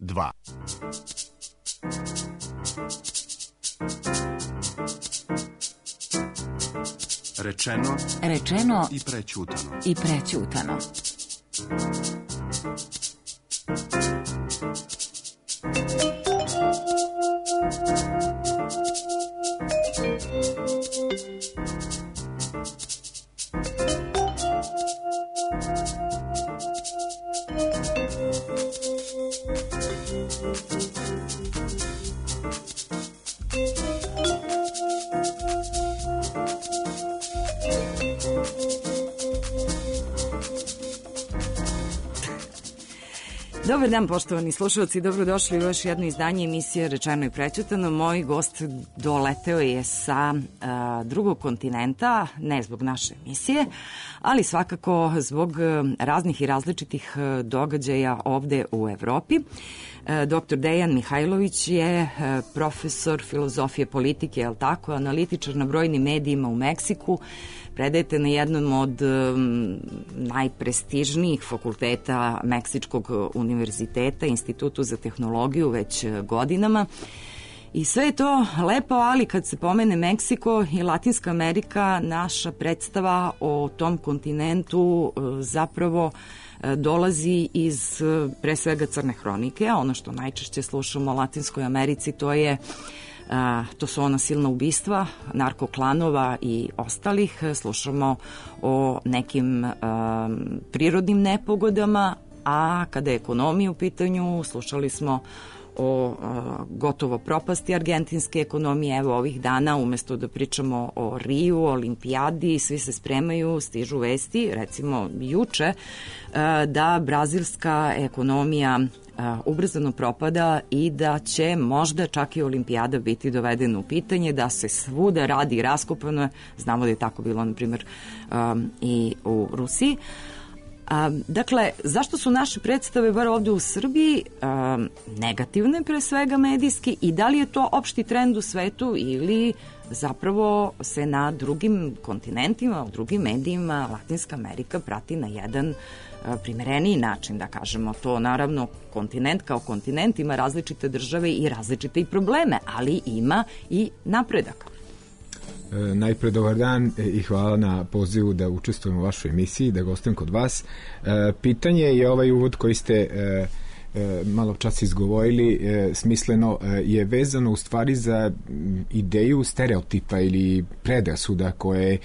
2. Rečeno i prećutano. Dobar dan, poštovani slušalci, dobrodošli u još jedno izdanje emisije Rečeno i prećutano. Moj gost doleteo je sa drugog kontinenta, ne zbog naše emisije, ali svakako zbog raznih i različitih događaja ovde u Evropi. Dr. Dejan Mihajlović je profesor filozofije politike, je li tako, analitičar na brojnim medijima u Meksiku. Predajete na jednom od najprestižnijih fakulteta Meksičkog univerziteta, Institutu za tehnologiju, već godinama. I sve je to lepo, ali kad se pomene Meksiko i Latinska Amerika, naša predstava o tom kontinentu zapravo dolazi iz pre svega crne hronike, a ono što najčešće slušamo o Latinskoj Americi to su ona silna ubistva, narkoklanova i ostalih. Slušamo o nekim prirodnim nepogodama, a kada je ekonomija u pitanju, slušali smo o gotovo propasti argentinske ekonomije. Evo ovih dana, umesto da pričamo o Riju, o olimpijadi, svi se spremaju, stižu vesti, recimo juče, da brazilska ekonomija ubrzano propada i da će možda čak i olimpijada biti dovedena u pitanje, da se svuda radi i raskopano. Znamo da je tako bilo, na primjer, i u Rusiji. Dakle, zašto su naše predstave, bar ovde u Srbiji, negativne pre svega medijski, i da li je to opšti trend u svetu ili zapravo se na drugim kontinentima, u drugim medijima Latinska Amerika prati na jedan primereniji način, da kažemo. To naravno, kontinent kao kontinent ima različite države i različite i probleme, ali ima i napredak. Najpre dobar dan i hvala na pozivu da učestvujem u vašoj emisiji, da gostujem kod vas. Pitanje je ovaj uvod koji ste malo čas izgovorili, smisleno je vezano u stvari za ideju stereotipa ili predrasuda koje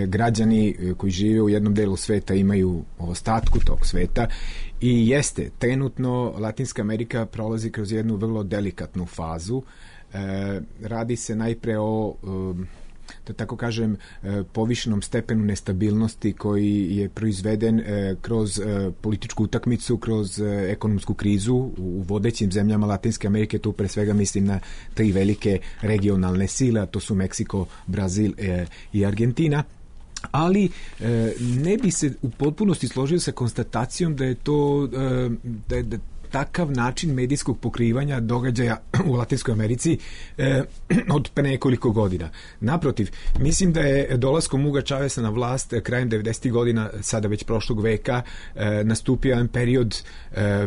građani koji žive u jednom delu sveta imaju o ostatku tog sveta. I jeste, trenutno Latinska Amerika prolazi kroz jednu vrlo delikatnu fazu. Radi se najpre o da tako kažem, povišenom stepenu nestabilnosti koji je proizveden kroz političku utakmicu, kroz ekonomsku krizu u vodećim zemljama Latinske Amerike. Tu pre svega mislim na tri velike regionalne sile, to su Meksiko, Brazil i Argentina. Ali ne bi se u potpunosti složio sa konstatacijom da je to da takav način medijskog pokrivanja događaja u Latinskoj Americi od pre nekoliko godina. Naprotiv, mislim da je dolaskom Huga Chaveza na vlast krajem 90. godina, sada već prošlog veka, nastupio jedan period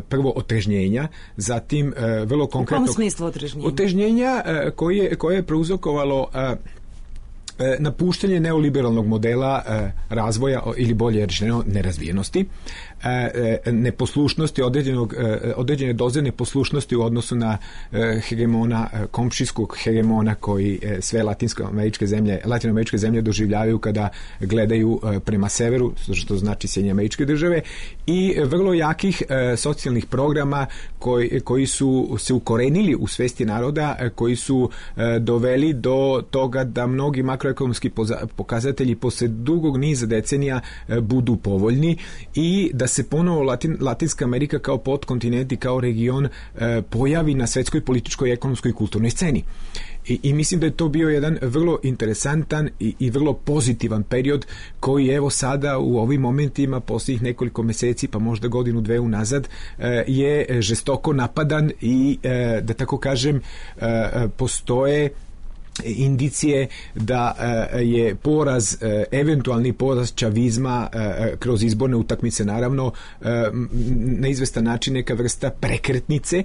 prvo otrežnjenja, zatim vrlo konkretno... U kom smislu otrežnjenja? Otrežnjenja koje je prouzrokovalo napuštanje neoliberalnog modela razvoja ili bolje rečeno nerazvijenosti, neposlušnosti, određene doze neposlušnosti u odnosu na hegemona, komšijskog hegemona koji sve latinoameričke zemlje doživljavaju kada gledaju prema severu, što znači Sjedinjene Američke Države, i vrlo jakih socijalnih programa koji su se ukorenili u svesti naroda, koji su doveli do toga da mnogi makroekonomski pokazatelji posle dugog niza decenija budu povoljni i da se ponovo Latinska Amerika kao podkontinent i kao region pojavi na svetskoj političkoj, ekonomskoj i kulturnoj sceni. I mislim da je to bio jedan vrlo interesantan i vrlo pozitivan period koji evo sada u ovim momentima posljednjih nekoliko meseci pa možda godinu, dve unazad je žestoko napadan i da tako kažem postoje indicije da je poraz, eventualni poraz čavizma kroz izborne utakmice naravno na izvestan način neka vrsta prekretnice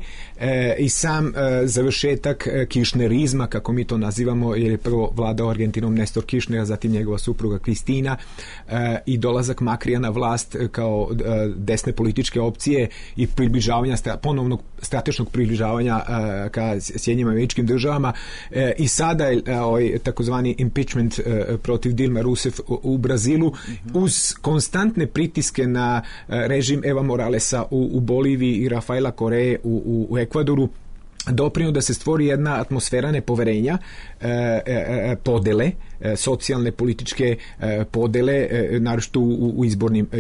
i sam završetak kiršnerizma, kako mi to nazivamo, jer je prvo vladao Argentinom Nestor Kiršner, a zatim njegova supruga Kristina, i dolazak Makrija na vlast kao desne političke opcije i približavanja, ponovnog strateškog približavanja ka Sjedinjenim Američkim Državama, i sada je takozvani impeachment protiv Dilma Rousseff u Brazilu, uz konstantne pritiske na režim Eva Moralesa u Boliviji i Rafaela Koreje u Ekvadoru, doprinio da se stvori jedna atmosfera nepoverenja, podele, socijalne, političke podele, naročito u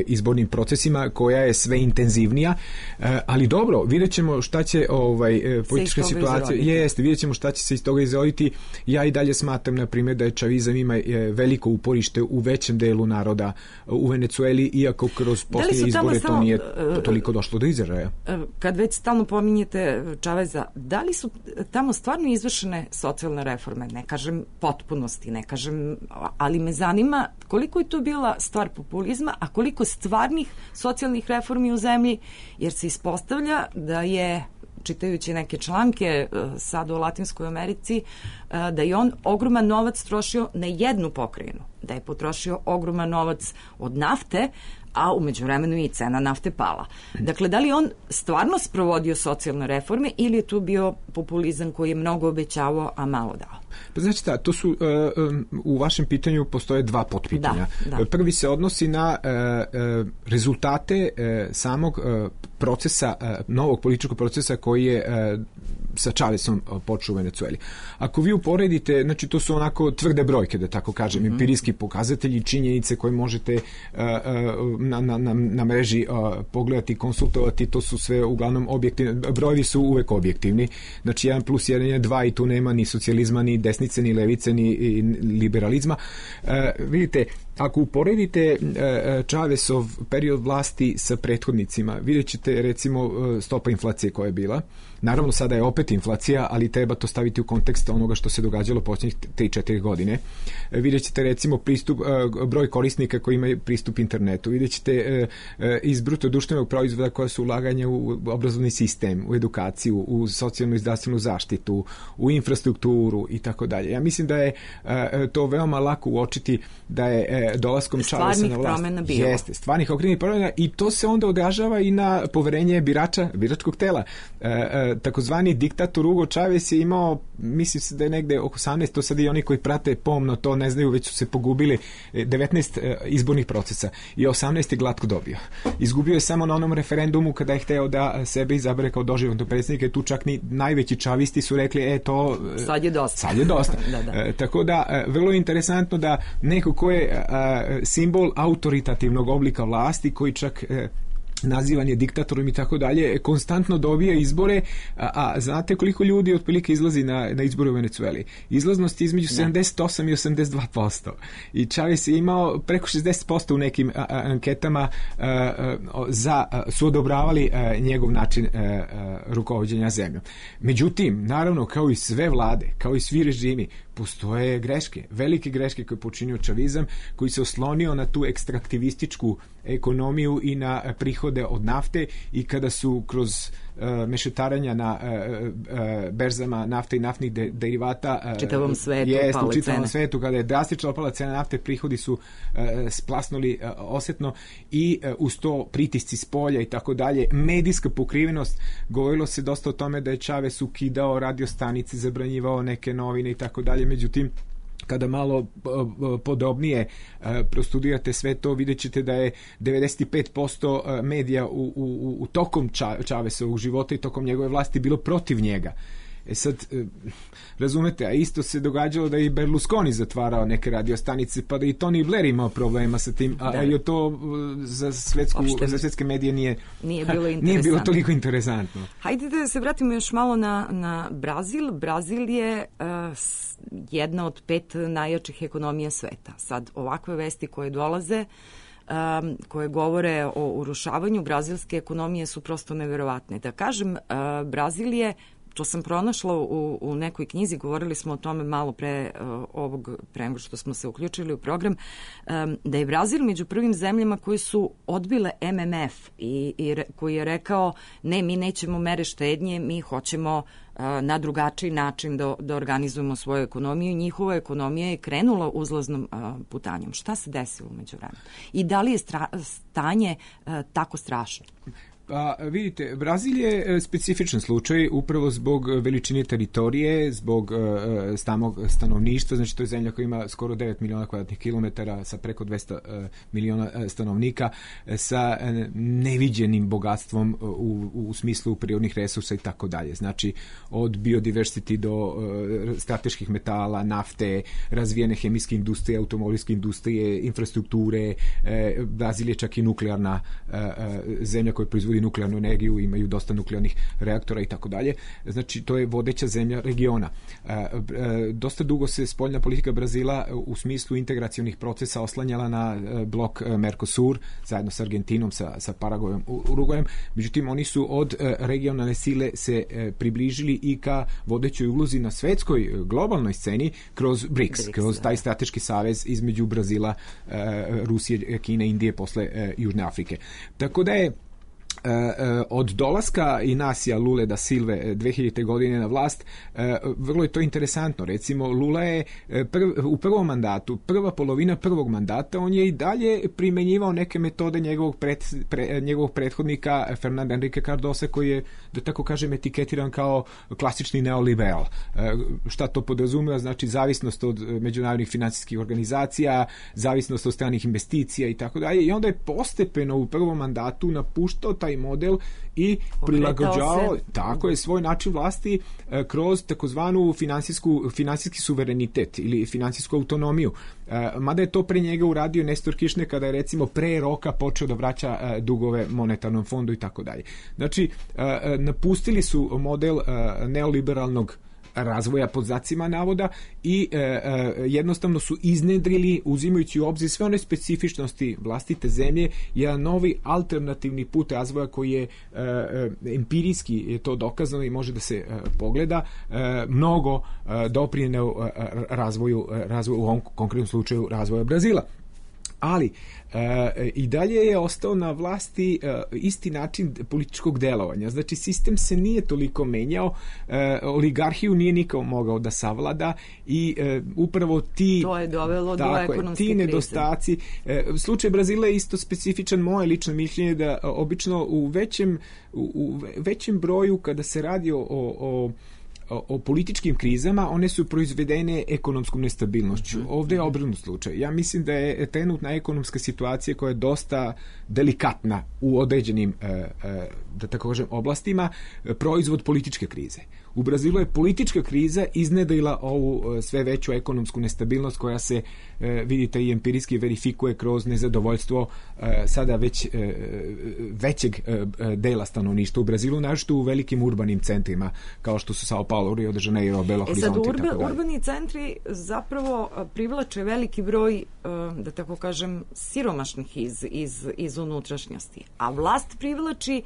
izbornim procesima, koja je sve intenzivnija, ali dobro, vidjet ćemo šta će politička situacija, vidjet ćemo šta će se iz toga izroditi. Ja i dalje smatram, na primjer, da je čavizam ima veliko uporište u većem delu naroda u Venecueli, iako kroz posljednje izbore to nije toliko došlo do izražaja. Kad već stalno pominjete Čaveza, da li su tamo stvarno izvršene socijalne reforme? Ne kažem potpunosti, ne kažem, ali me zanima koliko je to bila stvar populizma, a koliko stvarnih socijalnih reformi u zemlji, jer se ispostavlja da je, čitajući neke članke sad u Latinskoj Americi, da je on ogroman novac trošio na jednu pokrajinu, da je potrošio ogroman novac od nafte, a u međuvremenu i cena nafte pala. Dakle, da li on stvarno sprovodio socijalne reforme ili je tu bio populizam koji je mnogo obećavao, a malo dao? Pa znači to su, u vašem pitanju postoje dva potpitanja. Da. Prvi se odnosi na rezultate samog procesa, novog političkog procesa koji je sa Čavesom počeo u Venecueli. Ako vi uporedite, znači to su onako tvrde brojke, da tako kažem, empirijski pokazatelji, činjenice koje možete na mreži pogledati, konsultovati, to su sve uglavnom objektivni, brojevi su uvek objektivni, znači 1+1 je 2 i tu nema ni socijalizma, ni desnice, ni levice, ni liberalizma. Vidite, ako uporedite Čavesov period vlasti sa prethodnicima, vidjet ćete recimo stopa inflacije koja je bila. Naravno, sada je opet inflacija, ali treba to staviti u kontekst onoga što se događalo posljednjih 3-4 godine. Vidjet ćete recimo broj korisnika koji imaju pristup internetu. Vidjet ćete iz bruto društvenog proizvoda koja su ulaganja u obrazovni sistem, u edukaciju, u socijalnu i zdravstvenu zaštitu, u infrastrukturu i tako dalje. Ja mislim da je to veoma lako uočiti da je dolaskom Čavesa na vlast. Jeste, stvarnih okrenih promjena, i to se onda odražava i na poverenje biračkog tela. Takozvani diktator Hugo Chavez je imao, mislim se da je negde oko 18, to sad i oni koji prate pomno to ne znaju, već su se pogubili, 19 izbornih procesa i 18 je glatko dobio. Izgubio je samo na onom referendumu kada je hteo da sebe izabere kao doživotnog predsjednika, i tu čak ni najveći čavisti su rekli to sad je dosta. Da. Tako da, vrlo je interesantno da neko ko je simbol autoritativnog oblika vlasti, koji čak nazivan je diktatorom i tako dalje, konstantno dobija izbore, a znate koliko ljudi otprilike izlazi na izbore u Venecueli? Izlaznost je između 78 i 82%. I Chavez je imao preko 60% u nekim anketama, su odobravali njegov način rukovođenja zemljom. Međutim, naravno, kao i sve vlade, kao i svi režimi, postoje greške, velike greške koje je počinio čavizam, koji se oslonio na tu ekstraktivističku ekonomiju i na prihode od nafte, i kada su kroz mešetaranja na berzama nafte i naftnih derivata čitavom svetu, kada je drastično opala cena nafte, prihodi su splasnuli osetno, i uz to pritisci s polja i tako dalje, medijska pokrivenost. Govorilo se dosta o tome da je Chavez ukidao radiostanice, zabranjivao neke novine i tako dalje, međutim kada malo podrobnije prostudirate sve to, vidjet ćete da je 95% medija u tokom Chavezovog života i tokom njegove vlasti bilo protiv njega. Sad, razumete, a isto se događalo da i Berlusconi zatvarao neke radiostanice, pa da i Tony Blair imao problema sa tim, a to za svetske medije nije bilo toliko interesantno. Hajde da se vratimo još malo na Brazil. Brazil je jedna od 5 najjačih ekonomija sveta. Sad, ovakve vesti koje dolaze, koje govore o urušavanju brazilske ekonomije, su prosto neverovatne. Da kažem, Brazil je to sam pronašla u nekoj knjizi, govorili smo o tome malo pre nego što smo se uključili u program, da je Brazil među prvim zemljama koji su odbile MMF i koji je rekao ne, mi nećemo mere štednje, mi hoćemo na drugačiji način da organizujemo svoju ekonomiju. Njihova ekonomija je krenula uzlaznom putanjom. Šta se desilo umeđu vremenu? I da li je stanje tako strašno? Pa vidite, Brazil je specifičan slučaj upravo zbog veličine teritorije, zbog samog stanovništva, znači to je zemlja koja ima skoro 9 miliona kvadratnih kilometara sa preko 200 miliona stanovnika, sa neviđenim bogatstvom u smislu prirodnih resursa i tako dalje. Znači od biodiversity do strateških metala, nafte, razvijene hemijske industrije, automobilske industrije, infrastrukture. Brazil je čak i nuklearna zemlja koja proizvodi nuklearnu energiju, imaju dosta nuklearnih reaktora i tako dalje. Znači, to je vodeća zemlja regiona. Dosta dugo se spoljna politika Brazila u smislu integracionih procesa oslanjala na blok Mercosur, zajedno sa Argentinom, sa Paragvajom, Urugvajem. Međutim, oni su od regionalne sile se približili i ka vodećoj ulozi na svetskoj globalnoj sceni kroz BRICS, kroz taj strateški savez između Brazila, Rusije, Kine, Indije, posle Južne Afrike. Tako da je od dolaska Inacija Lule da Silve 2000. godine na vlast, vrlo je to interesantno. Recimo, Lula je u prvom mandatu, prva polovina prvog mandata, on je i dalje primenjivao neke metode njegovog prethodnika Fernanda Henrique Cardosa, koji je, da tako kažem, etiketiran kao klasični neoliberal. Šta to podrazumeva? Znači, zavisnost od međunarodnih finansijskih organizacija, zavisnost od stranih investicija i tako dalje. I onda je postepeno u prvom mandatu napuštao taj model i prilagođavao svoj način vlasti kroz takozvanu finansijski suverenitet ili finansijsku autonomiju. Mada je to pre njega uradio Nestor Kirchner kada je recimo pre roka počeo da vraća dugove monetarnom fondu i tako dalje. Znači, napustili su model neoliberalnog razvoja pod znacima navoda i jednostavno su iznedrili, uzimajući u obzir sve one specifičnosti vlastite zemlje, jedan novi alternativni put razvoja koji je empirijski je to dokazano i može da se pogleda, mnogo doprineo razvoju u ovom konkretnom slučaju razvoja Brazila. Ali i dalje je ostao na vlasti isti način političkog delovanja. Znači, sistem se nije toliko menjao, oligarhiju nije nikao mogao da savlada i upravo to je dovelo do ekonomske krize. Ti nedostaci. Slučaj Brazila je isto specifičan. Moje lično mišljenje da obično u većem broju kada se radi o političkim krizama, one su proizvedene ekonomskom nestabilnošću. Ovdje je obrnut slučaj. Ja mislim da je trenutna ekonomska situacija koja je dosta delikatna u određenim, da tako kažem, oblastima, proizvod političke krize. U Brazilu je politička kriza iznedrila ovu sve veću ekonomsku nestabilnost koja se, vidite, i empirijski verifikuje kroz nezadovoljstvo sada već većeg dela stanovništva u Brazilu, naročito u velikim urbanim centrima, kao što su Sao Paulo, Rio de Janeiro, Belo Horizonte i tako dalje. Urbani centri zapravo privlače veliki broj, da tako kažem, siromašnih iz unutrašnjosti, a vlast privlači,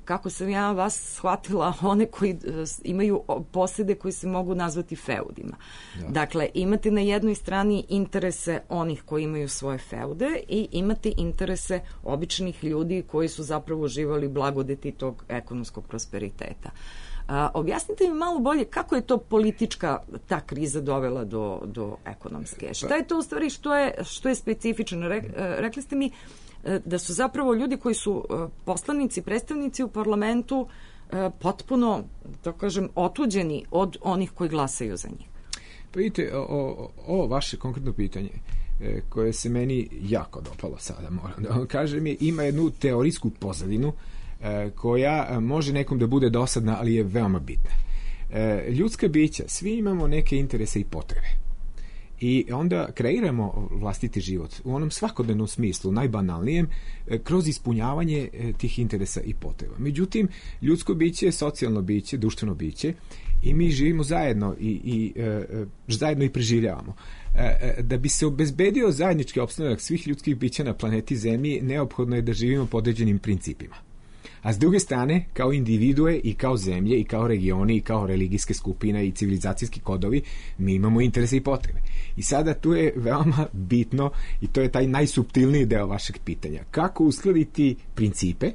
kako sam ja vas shvatila, one koji imaju posede koji se mogu nazvati feudima. Da. Dakle, imate na jednoj strani interese onih koji imaju svoje feude i imate interese običnih ljudi koji su zapravo uživali blagodeti tog ekonomskog prosperiteta. Objasnite mi malo bolje kako je to politička ta kriza dovela do ekonomske. Šta je to u stvari što je specifično? Rekli ste mi da su zapravo ljudi koji su poslanici, predstavnici u parlamentu potpuno, da kažem, otuđeni od onih koji glasaju za njih. Pa vidite, ovo vaše konkretno pitanje koje se meni jako dopalo sada, moram da vam kažem, ima jednu teorijsku pozadinu koja može nekom da bude dosadna, ali je veoma bitna. Ljudska bića, svi imamo neke interese i potrebe. I onda kreiramo vlastiti život u onom svakodnevnom smislu, najbanalnijem, kroz ispunjavanje tih interesa i potreba. Međutim, ljudsko biće je socijalno biće, društveno biće i mi živimo zajedno i zajedno i preživljavamo. Da bi se obezbedio zajednički opstanak svih ljudskih bića na planeti Zemlji, neophodno je da živimo po određenim principima. A s druge strane, kao individue i kao zemlje i kao regioni i kao religijske skupine i civilizacijski kodovi, mi imamo interese i potrebe. I sada tu je veoma bitno, i to je taj najsuptilniji deo vašeg pitanja, kako uskladiti principe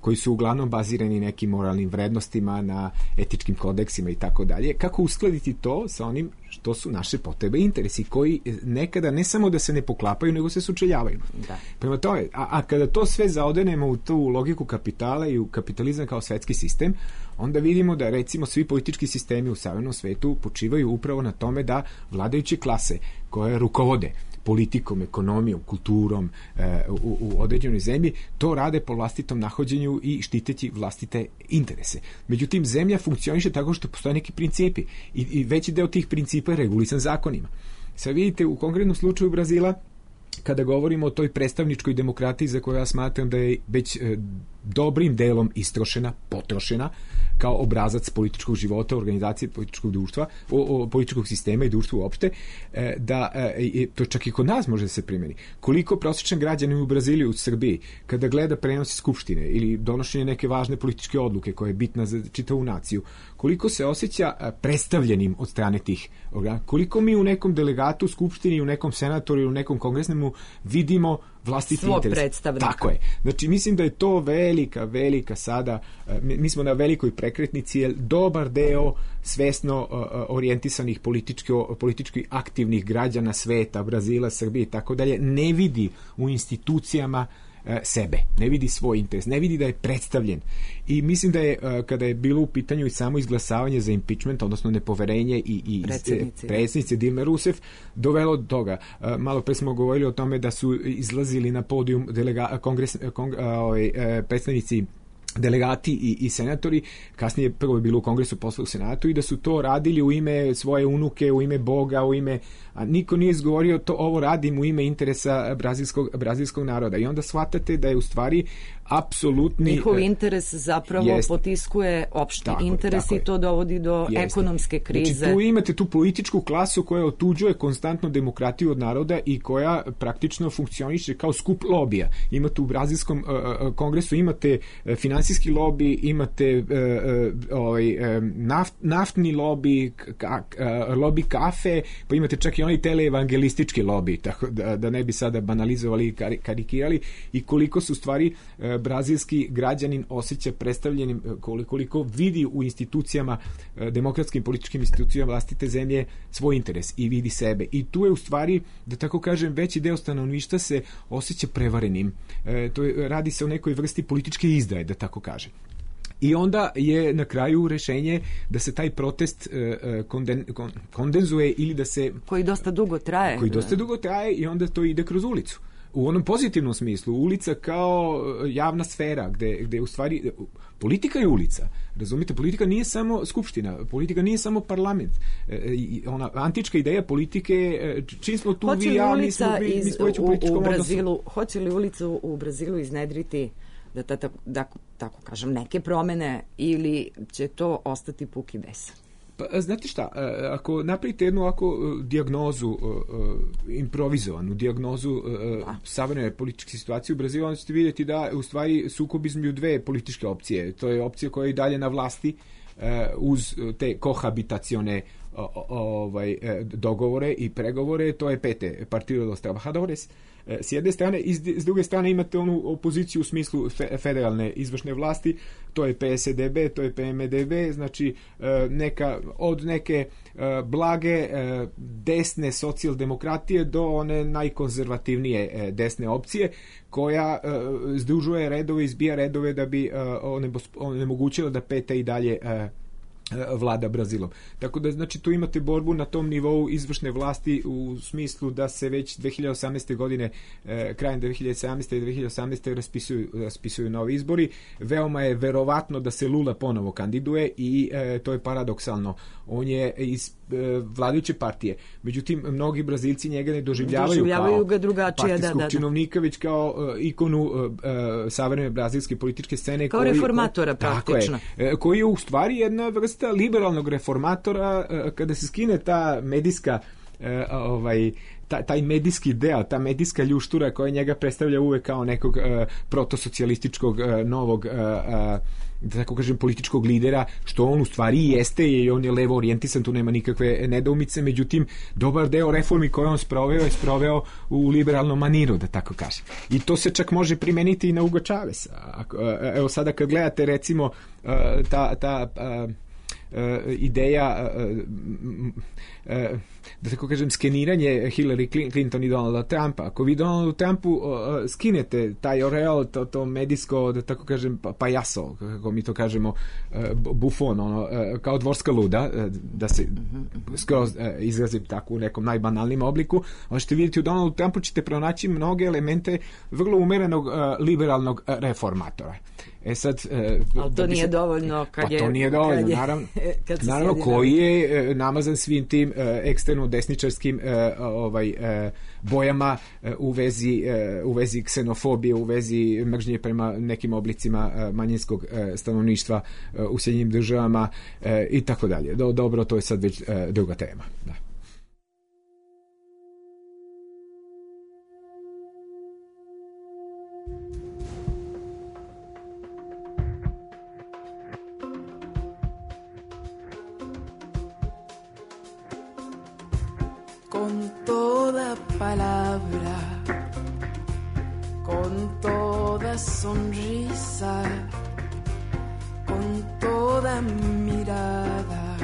koji su uglavnom bazirani nekim moralnim vrednostima, na etičkim kodeksima i tako dalje, kako uskladiti to sa onim što su naše potrebe i interesi, koji nekada ne samo da se ne poklapaju, nego se sučeljavaju. Da. Prema tome, a kada to sve zaodenemo u tu logiku kapitala i u kapitalizam kao svetski sistem, onda vidimo da recimo svi politički sistemi u savremenom svetu počivaju upravo na tome da vladajuće klase koje rukovode politikom, ekonomijom, kulturom u određenoj zemlji, to rade po vlastitom nahođenju i štiteći vlastite interese. Međutim, zemlja funkcioniše tako što postoje neki principi i veći deo tih principa je regulisan zakonima. Sad vidite, u konkretnom slučaju Brazila, kada govorimo o toj predstavničkoj demokratiji za koju ja smatram da je već dobrim delom istrošena, potrošena, kao obrazac političkog života, organizacije političkog društva, političkog sistema i društva uopšte, da to čak i kod nas može da se primeni. Koliko prosječan građanin u Braziliji, u Srbiji, kada gleda prenos skupštine ili donošenje neke važne političke odluke koja je bitna za čitavu naciju, koliko se osjeća predstavljenim od strane tih organa, koliko mi u nekom delegatu, skupštini, u nekom senatoru ili u nekom kongresnemu vidimo vlastiti svog interes. Predstavnika. Tako je. Znači, mislim da je to velika sada, mi smo na velikoj prekretnici, jer dobar deo svesno orijentisanih politički aktivnih građana sveta, Brazila, Srbije i tako dalje, ne vidi u institucijama sebe, ne vidi svoj interes, ne vidi da je predstavljen. I mislim da je, kada je bilo u pitanju i samo izglasavanje za impeachment, odnosno nepoverenje i predsjednice Dilme Rousseff, dovelo do toga. Malo pre smo govorili o tome da su izlazili na podijum predstavnici delegati i senatori, kasnije prvo je bilo u Kongresu, posle u Senatu, i da su to radili u ime svoje unuke, u ime Boga, a niko nije izgovorio to, ovo radim u ime interesa brazilskog naroda. I onda shvatate da je u stvari apsolutni... Njihov interes zapravo potiskuje opšti interes i to dovodi do ekonomske krize. Znači, tu imate tu političku klasu koja otuđuje konstantno demokratiju od naroda i koja praktično funkcioniše kao skup lobija. Imate u brazilskom kongresu, imate finansijski lobi, imate naftni lobi, lobi kafe, pa imate čak i onaj teleevangelistički lobi, tako da ne bi sada banalizovali i karikirali, i koliko su stvari brazilski građanin osjeća predstavljenim, koliko vidi u institucijama, demokratskim političkim institucijama vlastite zemlje svoj interes i vidi sebe. I tu je u stvari, da tako kažem, veći deo stanovništva se osjeća prevarenim. Radi se o nekoj vrsti političke izdaje, da tako kažem. I onda je na kraju rešenje da se taj protest kondenzuje ili da se... Koji dosta dugo traje. I onda to ide kroz ulicu. U onom pozitivnom smislu, ulica kao javna sfera, gde u stvari politika je ulica. Razumite, politika nije samo skupština, politika nije samo parlament. Ona antička ideja politike, čim smo tu vi ja, mi smo već u političkom odnosu. Hoće li ulicu u Brazilu iznedriti da tako kažem, neke promene, ili će to ostati puki besan? Pa, znate šta, ako napravite jednu ovako dijagnozu, improvizovanu dijagnozu savremene političke situacije u Brazilu, onda ćete vidjeti da u stvari sukob između dve političke opcije. To je opcija koja je i dalje na vlasti uz te kohabitacione dogovore i pregovore, to je PT, Partido dos Trabajadores, s jedne strane, i s druge strane imate onu opoziciju u smislu federalne izvršne vlasti, to je PSDB, to je PMDB, znači od neke blage desne socijaldemokratije do one najkonzervativnije desne opcije, koja združuje redove, izbija redove da bi onemogućila da PT i dalje vlada Brazilom. Tako da, znači, tu imate borbu na tom nivou izvršne vlasti u smislu da se već 2018. godine, krajem 2017. i 2018. raspisuju novi izbori. Veoma je verovatno da se Lula ponovo kandiduje i to je paradoksalno. On je iz vladajuće partije. Međutim, mnogi Brazilci njega ne doživljavaju ga drugačije, partijskog činovnika, već kao ikonu savremene brazilske političke scene. Kao reformatora praktično. Koji je u stvari jedna vrsta liberalnog reformatora. Kada se skine ta medijska taj medijski deo, ta medijska ljuštura koja njega predstavlja uvek kao nekog protosocijalističkog novog da tako kažem političkog lidera, što on u stvari jeste i on je levo orijentisan, tu nema nikakve nedoumice, međutim dobar deo reformi koje on sproveo u liberalnom maniru, da tako kažem. I to se čak može primeniti i na Hugo Chaveza. Evo sada kad gledate recimo ta ideja da tako kažem skeniranje Hillary Clinton i Donalda Trumpa. Ako vi Donaldu Trumpu skinete taj oreol, to medijsko, da tako kažem, pajaso, kako mi to kažemo, bufon, kao dvorska luda, da se skroz izrazim tako u nekom najbanalnim obliku, ali ćete vidjeti u Donaldu Trumpu ćete pronaći mnoge elemente vrlo umerenog liberalnog reformatora. Sad, ali to nije dovoljno to nije dovoljno, naravno koji je namazan svim tim ekstremno desničarskim bojama u vezi ksenofobije, u vezi mržnje prema nekim oblicima manjinskog stanovništva u Sjedinjenim Državama i tako dalje. Dobro, to je sad već druga tema. Da. Con toda palabra, con toda sonrisa, con toda mirada,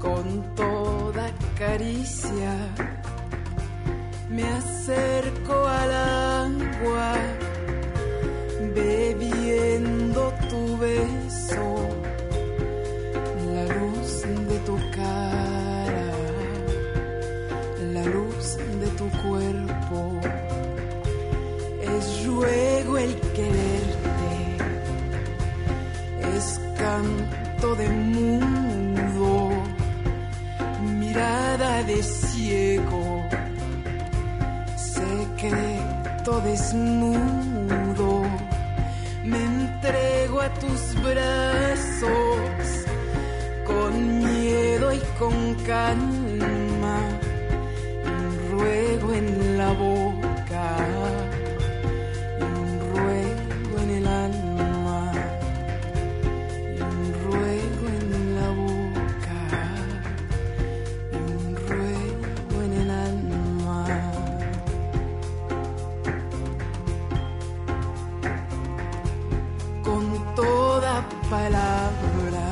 con toda caricia, me acerco al agua, bebiendo tu beso, la luz de tu cara, la luz de tu cuerpo, es ruego el quererte, es canto de mudo, mirada de ciego, secreto desnudo, me entrego a tus brazos, con miedo y con calma, un ruego en la boca, un ruego en el alma, y un ruego en la boca, y un ruego en el alma. Con toda palabra,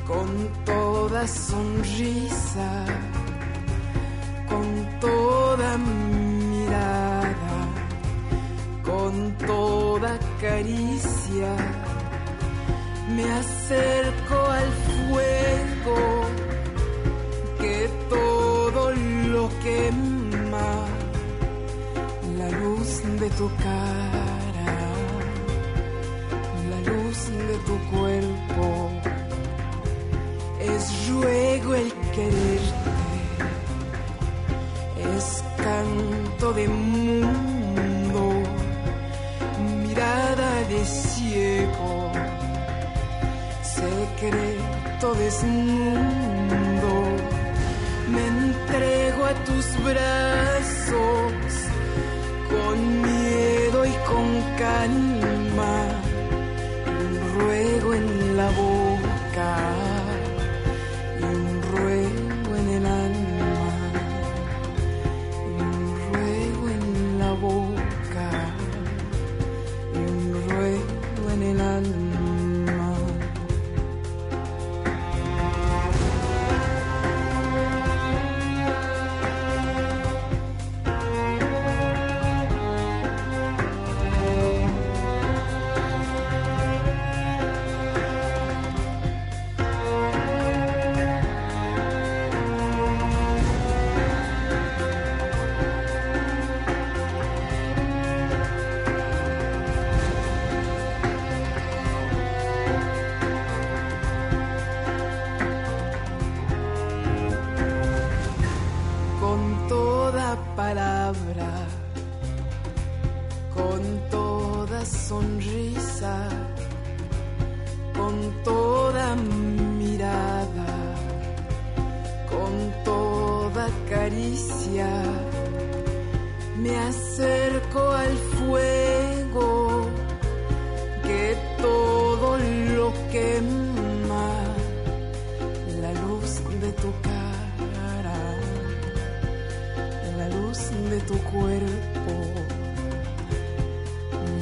con toda sonrisa, con toda mirada, con toda caricia, me acerco al fuego que todo lo quema, la luz de tu cara, la luz de tu cuerpo, es ruego el quererte, es canto de mundo, mirada de ciego, secreto desnudo, me entrego a tus brazos, con miedo y con calma, un ruego en la boca, y un ruego en el alma, y un ruego en la boca, y un ruego en el alma. Palabra, con toda sonrisa, con toda mirada, con toda caricia me acerco al fuego que todo lo quema, la luz de tu cara, la luz de tu cuerpo,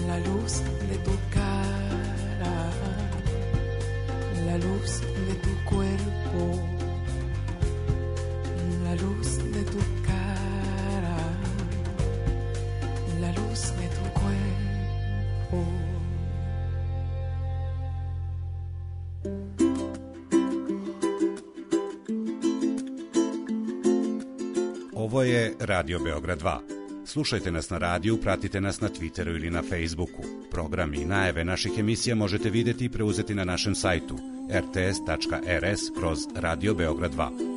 la luz de tu cara, la luz de tu cuerpo, la luz de tu cara, la luz de tu cuerpo. Ovo je Radio Beograd 2. Slušajte nas na radiju, pratite nas na Twitteru ili na Facebooku. Programi i najave naših emisija možete vidjeti i preuzeti na našem sajtu rts.rs/Radio Beograd 2.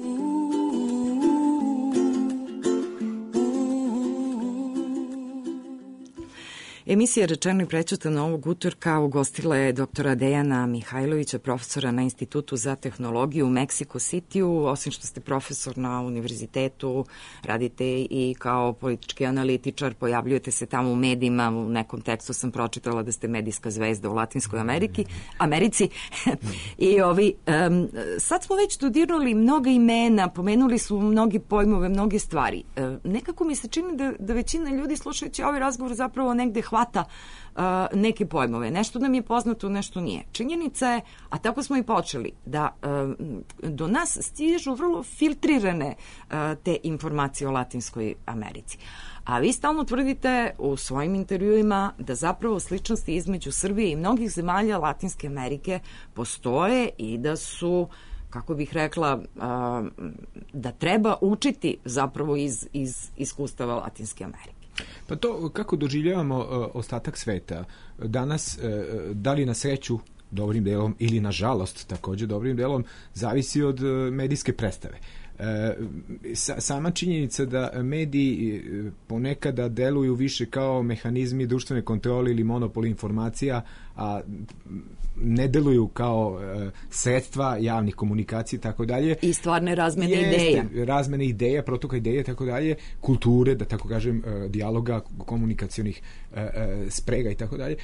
Emisija Rečeno i prećutano ovog utorka ugostila je doktora Dejana Mihajlovića, profesora na Institutu za tehnologiju u Meksiko Cityu. Osim što ste profesor na univerzitetu, radite i kao politički analitičar, pojavljujete se tamo u medijima, u nekom tekstu sam pročitala da ste medijska zvezda u Latinskoj Americi. I sad smo već dodirnuli mnoga imena, pomenuli su mnogi pojmove, mnoge stvari. Nekako mi se čini da većina ljudi slušajući ovaj razgovor zapravo negde hvata neke pojmove. Nešto nam je poznato, nešto nije. Činjenica je, a tako smo i počeli, da do nas stižu vrlo filtrirane te informacije o Latinskoj Americi. A vi stalno tvrdite u svojim intervjuima da zapravo sličnosti između Srbije i mnogih zemalja Latinske Amerike postoje i da su, kako bih rekla, da treba učiti zapravo iz iskustava Latinske Amerike. Pa to kako doživljavamo ostatak sveta danas, da li na sreću dobrim delom ili na žalost takođe dobrim delom, zavisi od medijske predstave. Sama činjenica da mediji ponekada deluju više kao mehanizmi društvene kontrole ili monopoli informacija, a ne deluju kao sredstva javnih komunikacija i tako dalje. I stvarne razmene ideja. Razmene ideja, protoka ideja i tako dalje, kulture, da tako kažem, dijaloga, komunikacionih sprega i tako dalje.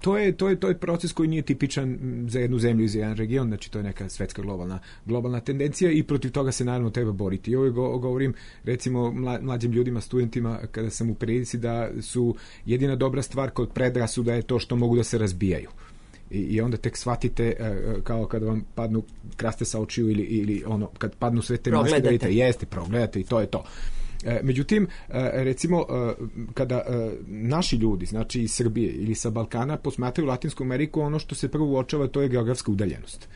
To je proces koji nije tipičan za jednu zemlju i za jedan region, znači to je neka svetska globalna tendencija i protiv toga se naravno treba boriti. I ovo govorim recimo mlađim ljudima, studentima, kada sam u prilici da su jedina dobra stvar kod predrasuda je to što mogu da se razbijaju. I onda tek shvatite kao kada vam padnu kraste sa očiju ili ono, kad padnu sve te maske da vidite, progledate i to je to. Međutim, recimo, kada naši ljudi, znači iz Srbije ili sa Balkana, posmatraju Latinsku Ameriku, ono što se prvo uočava to je geografska udaljenost.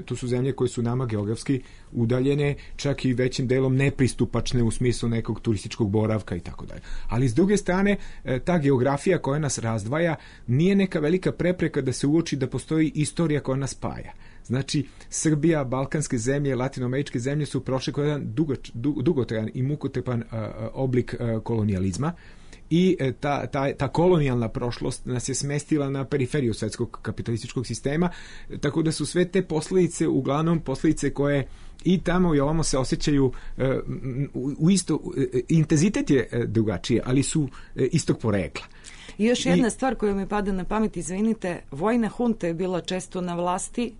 To su zemlje koje su nama geografski udaljene, čak i većim delom nepristupačne u smislu nekog turističkog boravka i tako dalje. Ali s druge strane, ta geografija koja nas razdvaja nije neka velika prepreka da se uoči da postoji istorija koja nas spaja. Znači, Srbija, balkanske zemlje, latinoameričke zemlje su prošle kroz jedan dugotrajan i mukotrpan oblik kolonijalizma i ta kolonijalna prošlost nas je smestila na periferiju svetskog kapitalističkog sistema, tako da su sve te posledice uglavnom posledice koje i tamo i ovamo se osjećaju u isto, intenzitet je drugačije, ali su istog porekla. I još jedna stvar koja mi pada na pamet, izvinite, vojna hunta je bila često na vlasti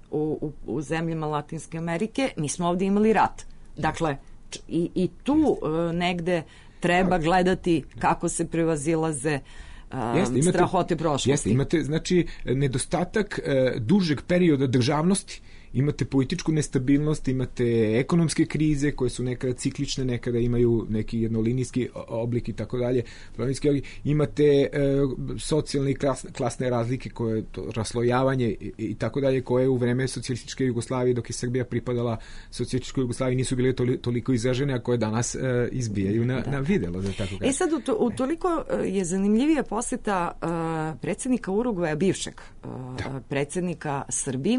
u zemljama Latinske Amerike, mi smo ovdje imali rat. Dakle, i tu negde treba gledati kako se prevazilaze strahote prošlosti. Jeste, imate, znači, nedostatak dužeg perioda državnosti, imate političku nestabilnost, imate ekonomske krize koje su nekada ciklične, nekada imaju neki jednolinijski oblik i tako dalje, imate socijalne i klasne razlike, koje raslojavanje i tako dalje, koje u vreme socijalističke Jugoslavije, dok je Srbija pripadala socijalističkoj Jugoslaviji, nisu bile toliko izražene, a koje danas izbijaju na videlo, da tako kažem. Sad, utoliko je zanimljivija poseta predsjednika Urugvaja, bivšeg predsjednika Srbiji,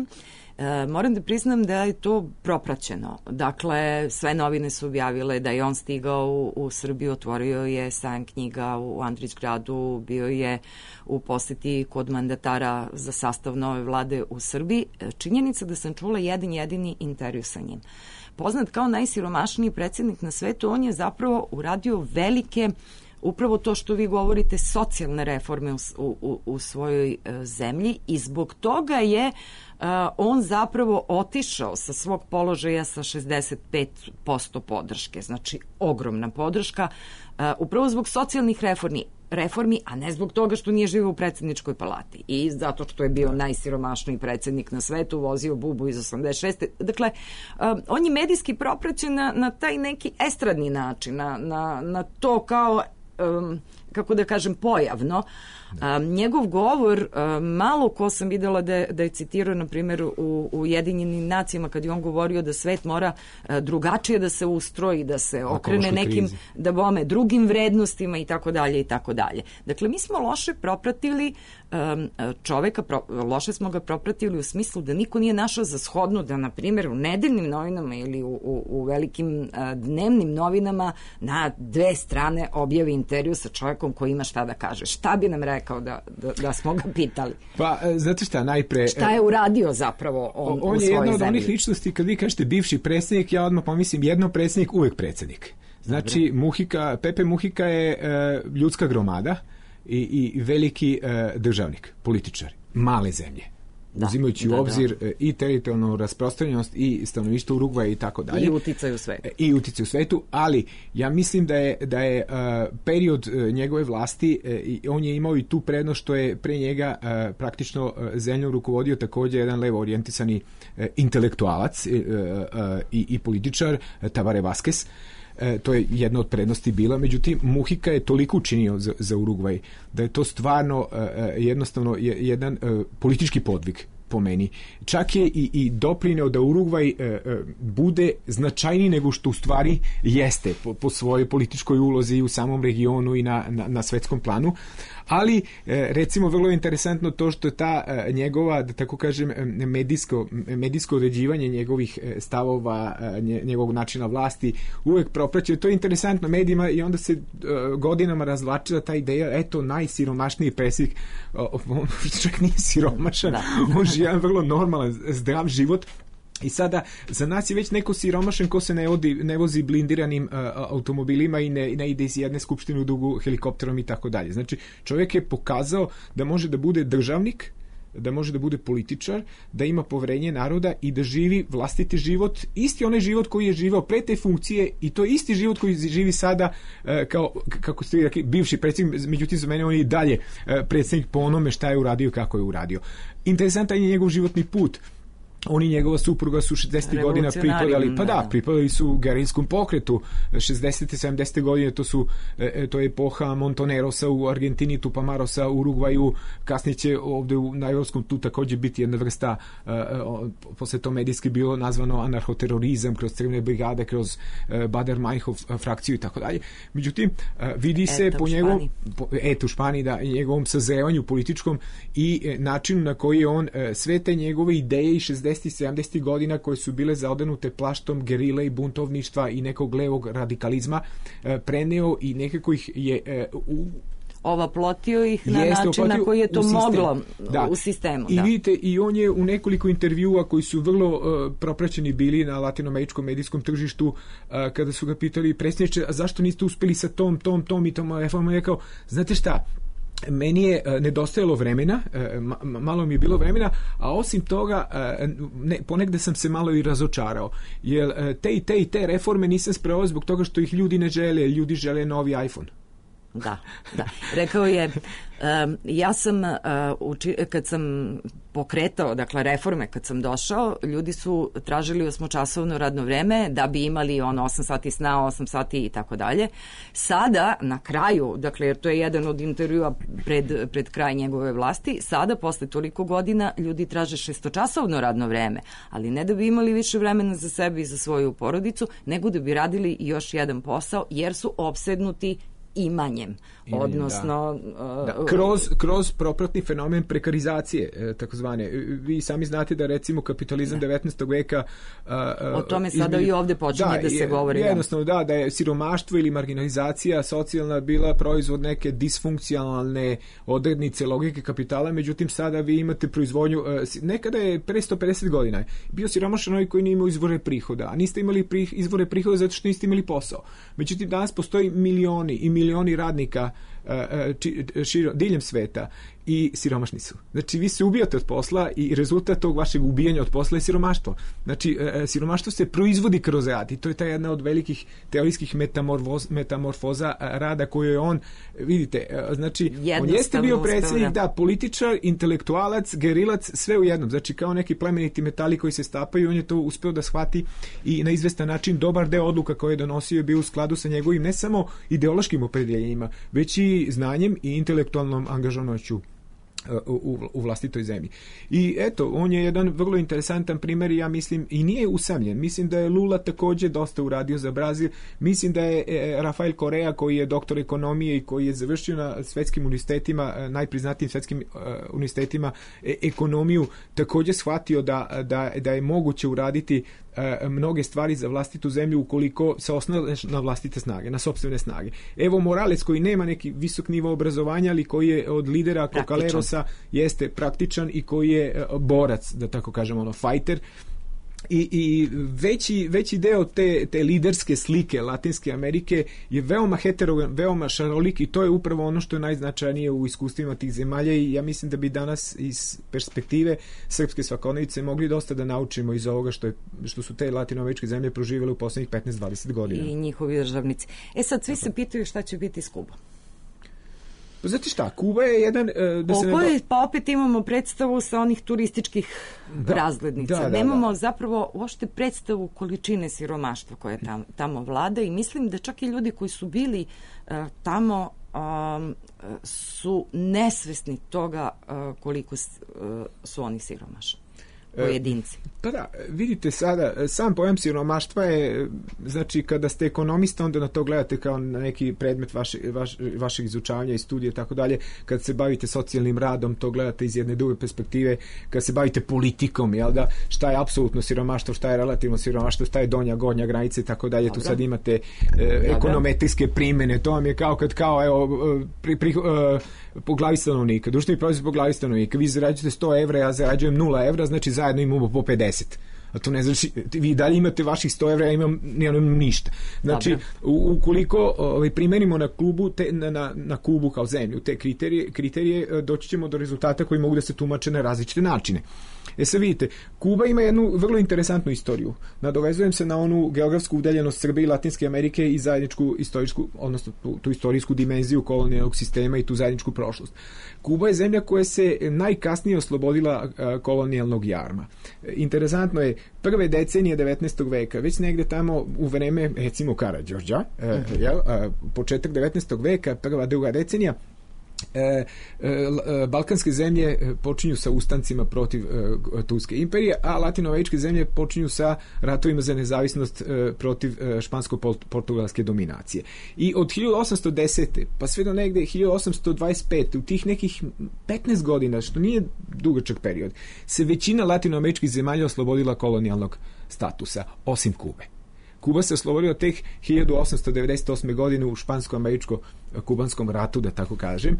Moram da priznam da je to propraćeno. Dakle, sve novine su objavile da je on stigao u Srbiju, otvorio je sajam knjiga u Andrićgradu, bio je u poseti kod mandatara za sastav nove vlade u Srbiji. Činjenica da sam čula jedan jedini intervju sa njim. Poznat kao najsiromašniji predsjednik na svetu, on je zapravo uradio velike, upravo to što vi govorite, socijalne reforme u svojoj zemlji i zbog toga je on zapravo otišao sa svog položaja sa 65% podrške, znači ogromna podrška, upravo zbog socijalnih reformi, a ne zbog toga što nije živio u predsjedničkoj palati i zato što je bio najsiromašniji predsjednik na svetu, vozio bubu iz 86. Dakle, on je medijski propraćen na taj neki estradni način, na to kao kako da kažem, pojavno. Njegov govor, malo ko sam videla da je citirao, na primjer, u Ujedinjenim nacijama, kad je on govorio da svet mora drugačije da se ustroji, da se okrene nekim drugim vrednostima i tako dalje i tako dalje. Dakle, mi smo loše propratili čoveka, loše smo ga propratili u smislu da niko nije našao za shodno da, na primjer, u nedeljnim novinama ili u velikim dnevnim novinama na 2 strane objavi intervju sa čovekom koji ima šta da kaže. Šta bi nam rekao da smo ga pitali? Pa, znate šta, najpre... Šta je uradio zapravo on u svojoj zemlji? On je jedna od onih ličnosti, kad vi kažete bivši predsjednik, ja odmah pomislim jedno predsjednik, uvek predsjednik. Znači, Pepe Muhika je ljudska gromada i veliki državnik, političar, male zemlje. Uzimajući u obzir i teritorijalnu rasprostranjenost i stanovništvo Urugvaja i tako dalje. I uticaj u svetu. Ali ja mislim da je period njegove vlasti, on je imao i tu prednost što je pre njega praktično zemljom rukovodio također jedan levo orijentisani intelektualac i političar, Tabaré Vázquez. To je jedna od prednosti bila, međutim Muhika je toliko učinio za Urugvaj da je to stvarno jednostavno jedan politički podvig po meni. Čak je i doprineo da Urugvaj bude značajniji nego što u stvari jeste po svojoj političkoj ulozi u samom regionu i na svetskom planu. Ali, recimo, vrlo je interesantno to što je ta njegova, da tako kažem, medijsko određivanje njegovih stavova, njegovog načina vlasti uvek propraćuje. To je interesantno medijima i onda se godinama razvlačila ta ideja, eto, najsiromašniji predsjednik, on čak nije siromašan, on živi jedan vrlo normalan, zdrav život. I sada, za nas je već neko siromašan ko se ne vozi blindiranim automobilima i ne ide iz jedne skupštine u drugu helikopterom i tako dalje. Znači, čovjek je pokazao da može da bude državnik, da može da bude političar, da ima poverenje naroda i da živi vlastiti život, isti onaj život koji je živao pre te funkcije i to je isti život koji živi sada kao, kako ste rekli, bivši predsjednik, međutim za mene on je i dalje predsjednik po onome šta je uradio i kako je uradio. Interesantan je njegov životni put. On i njegova supruga su 60. godina pripadali su geriljskom pokretu. 60. 70. godine to je epoha Montonerosa u Argentini, Tupamarosa u Urugvaju, kasnije će ovdje na evropskom tu također biti jedna vrsta, posle to medijski bilo nazvano anarhoterorizam, kroz crvene brigade, kroz Bader-Meinhof frakciju i tako dalje. Međutim, vidi se po njegovom u Španiji, da, njegovom sazrevanju političkom i načinu na koji je on sve te njegove ideje i 60. 70. godina koje su bile zaodenute plaštom gerile i buntovništva i nekog levog radikalizma preneo i nekako ih je ovaplotio ih na način na koji je to moglo u sistemu. I vidite, i on je u nekoliko intervjua koji su vrlo propraćeni bili na latinoameričkom medijskom tržištu, kada su ga pitali, predsjedniče, a zašto niste uspeli sa tom i tom reformom, je rekao, znate šta, meni je nedostajalo vremena, malo mi je bilo vremena, a osim toga ponegde sam se malo i razočarao, jer te reforme nisam sproveo zbog toga što ih ljudi ne žele, ljudi žele novi iPhone. Da. Rekao je, ja sam, kad sam pokretao, dakle, reforme, kad sam došao, ljudi su tražili 8-časovno radno vreme da bi imali 8 sati sna, 8 sati i tako dalje. Sada, na kraju, dakle, jer to je jedan od intervjua pred kraj njegove vlasti, sada, posle toliko godina, ljudi traže 6-časovno radno vreme, ali ne da bi imali više vremena za sebe i za svoju porodicu, nego da bi radili još jedan posao, jer su opsednuti imanjem, odnosno... Kroz propratni fenomen prekarizacije, takozvane. Vi sami znate da recimo kapitalizam 19. veka... o tome sada i ovde počinje da se govori. Jednostavno da je siromaštvo ili marginalizacija socijalna bila proizvod neke disfunkcionalne odrednice logike kapitala, međutim sada vi imate proizvodnju... Nekada je pre 150 godina bio siromašan onaj koji nije imao izvore prihoda, a niste imali izvore prihoda zato što niste imali posao. Međutim, danas postoji milioni radnika diljem sveta i siromašni su. Znači, vi se ubijate od posla i rezultat tog vašeg ubijanja od posla je siromaštvo. Znači, siromaštvo se proizvodi kroz rad i to je ta jedna od velikih teorijskih metamorfoza rada koju je on, vidite, znači, on jeste bio predsjednik, političar, intelektualac, gerilac, sve u jednom. Znači, kao neki plemeniti metali koji se stapaju, on je to uspeo da shvati i na izvestan način dobar deo odluka koje je donosio je bio u skladu sa njegovim ne samo ideološkim opredeljenjima, već i znanjem i intelektualnom angažovanošću u vlastitoj zemlji. I eto, on je jedan vrlo interesantan primjer i ja mislim, i nije usamljen. Mislim da je Lula također dosta uradio za Brazil. Mislim da je Rafael Correa, koji je doktor ekonomije i koji je završio na svetskim univerzitetima, najpriznatijim svetskim univerzitetima ekonomiju, također shvatio da je moguće uraditi mnoge stvari za vlastitu zemlju ukoliko se osnove na vlastite snage, na sopstvene snage. Evo Morales, koji nema neki visok nivo obrazovanja, ali koji je od lidera Cocalerosa jeste praktičan i koji je borac, da tako kažemo, fighter. I veći deo te liderske slike Latinske Amerike je veoma heterogen, veoma šarolik i to je upravo ono što je najznačajnije u iskustvima tih zemalja i ja mislim da bi danas iz perspektive srpske svakodnevice mogli dosta da naučimo iz ovoga što su te latinoameričke zemlje proživjele u poslednjih 15-20 godina. I njihovi državnici. Sad svi se pitaju šta će biti s Kubom. Znate šta, Kuba je jedan... Pa opet imamo predstavu sa onih turističkih razglednica. Nemamo zapravo uopšte predstavu količine siromaštva koje tamo vlada i mislim da čak i ljudi koji su bili tamo su nesvesni toga koliko su oni siromašni. Pojedinci. Pa da, vidite sada, sam pojam siromaštva je, znači kada ste ekonomista onda na to gledate kao na neki predmet vašeg izučavanja i studije i tako dalje, kad se bavite socijalnim radom to gledate iz jedne druge perspektive, kad se bavite politikom, jel da, šta je apsolutno siromaštvo, šta je relativno siromaštvo, šta je donja, gornja granica i tako dalje, tu sad imate ekonometrijske primjene, to vam je po glavi stanovnika, društveni proizvod po glavi stanovnika, vi zarađujete 100 evra, ja zarađujem 0 evra, znači zajedno imamo po 50. A to ne znači, vi dalje imate vaših 100 evra, ja imam ništa. Znači, ukoliko primenimo na Kubu kao zemlju te kriterije, doći ćemo do rezultata koji mogu da se tumače na različite načine. Sad vidite, Kuba ima jednu vrlo interesantnu istoriju. Nadovezujem se na onu geografsku udaljenost Srbije i Latinske Amerike i zajedničku istorijsku, odnosno tu istorijsku dimenziju kolonijalnog sistema i tu zajedničku prošlost. Kuba je zemlja koja se najkasnije oslobodila kolonijalnog jarma. Interesantno je, prve decenije 19. veka, već negde tamo u vreme, recimo, Karađorđa, početak 19. veka, prva, druga decenija, balkanske zemlje počinju sa ustancima protiv Turske imperije, a latinoameričke zemlje počinju sa ratovima za nezavisnost protiv špansko-portugalske dominacije. I od 1810. pa sve do negde 1825. u tih nekih 15 godina, što nije dugačak period, se većina latinoameričkih zemalja oslobodila kolonijalnog statusa, osim Kube. Kuba se oslobodila tek 1898. godine u špansko-američko-kubanskom ratu, da tako kažem,